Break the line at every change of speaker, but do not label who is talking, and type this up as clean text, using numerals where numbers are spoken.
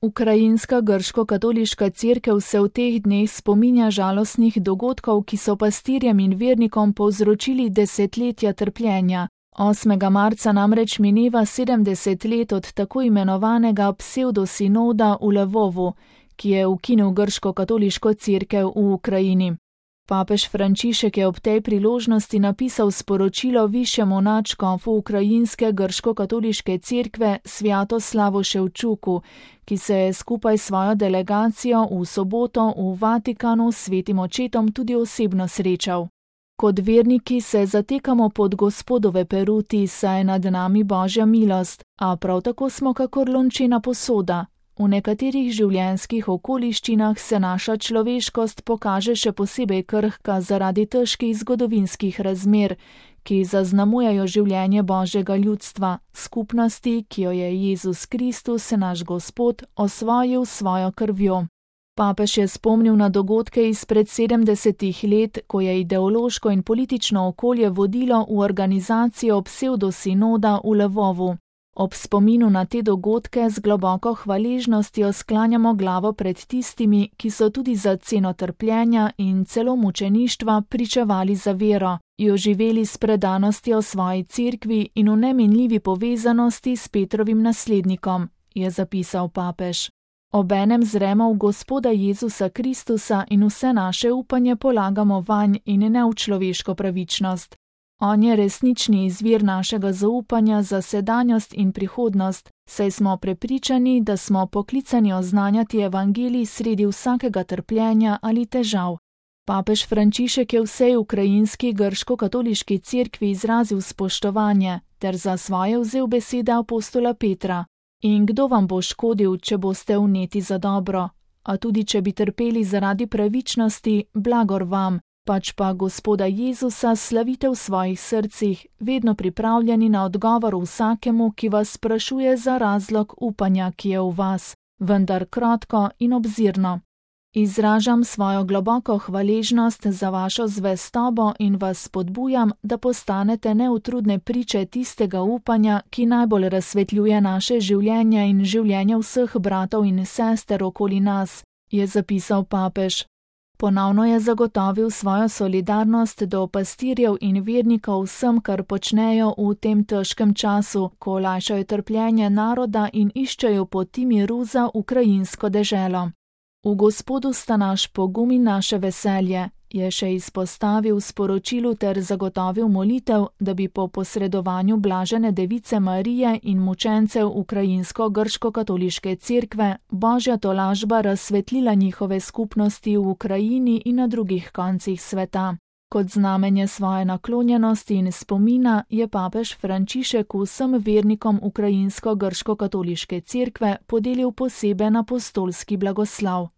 Ukrajinska grško-katoliška cerkev se v teh dneh spominja žalostnih dogodkov, ki so pastirjem in vernikom povzročili desetletja trpljenja. 8. marca namreč mineva 70 let od tako imenovanega psevdosinoda v Lvovu, ki je ukinil grško-katoliško cerkev v Ukrajini. Papež Frančišek je ob tej priložnosti napisal sporočilo višjemu nadškofu ukrajinske grško-katoliške cerkve Svjatoslavu Ševčuku, ki se je skupaj s svojo delegacijo v soboto v Vatikanu s svetim očetom tudi osebno srečal. Kot verniki se zatekamo pod Gospodove peruti, saj je nad nami Božja milost, a prav tako smo kakor lončena posoda. V nekaterih življenjskih okoliščinah se naša človeškost pokaže še posebej krhka zaradi težkih zgodovinskih razmer, ki zaznamujejo življenje Božjega ljudstva, skupnosti, ki jo je Jezus Kristus, naš Gospod, osvojil s svojo krvjo. Papež je spomnil na dogodke izpred 70 let, ko je ideološko in politično okolje vodilo v organizacijo psevdosinoda v Lvovu. Ob spominu na te dogodke z globoko hvaležnostjo sklanjamo glavo pred tistimi, ki so tudi za ceno trpljenja in celo mučeništva pričevali za vero, jo živeli s predanostjo svoji cerkvi in v neminljivi povezanosti s Petrovim naslednikom, je zapisal papež. Obenem zremo v Gospoda Jezusa Kristusa in vse naše upanje polagamo vanj in ne v človeško pravičnost. On je resnični izvir našega zaupanja za sedanjost in prihodnost, saj smo prepričani, da smo poklicani oznanjati evangelij sredi vsakega trpljenja ali težav. Papež Frančišek je vsej ukrajinski grško-katoliški cerkvi izrazil spoštovanje ter za svoje vzel besede apostola Petra. In kdo vam bo škodil, če boste vneti za dobro? A tudi če bi trpeli zaradi pravičnosti, blagor vam. Pač pa Gospoda Jezusa slavite v svojih srcih, vedno pripravljeni na odgovor vsakemu, ki vas sprašuje za razlog upanja, ki je v vas, vendar krotko in obzirno. Izražam svojo globoko hvaležnost za vašo zvestobo in vas spodbujam, da postanete neutrudne priče tistega upanja, ki najbolj razsvetljuje naše življenje in življenje vseh bratov in sester okoli nas, je zapisal papež. Ponovno je zagotovil svojo solidarnost do pastirjev in vernikov vsem, kar počnejo v tem težkem času, ko olajšajo trpljenje naroda in iščejo poti miru za ukrajinsko deželo. V Gospodu sta naš pogum in naše veselje, je še izpostavil v sporočilu ter zagotovil molitev, da bi po posredovanju blažene device Marije in mučencev ukrajinsko-grško-katoliške cerkve Božja tolažba razsvetlila njihove skupnosti v Ukrajini in na drugih koncih sveta. Kot znamenje svoje naklonjenosti in spomina je papež Frančišek vsem vernikom ukrajinsko-grško-katoliške cerkve podelil poseben apostolski blagoslov.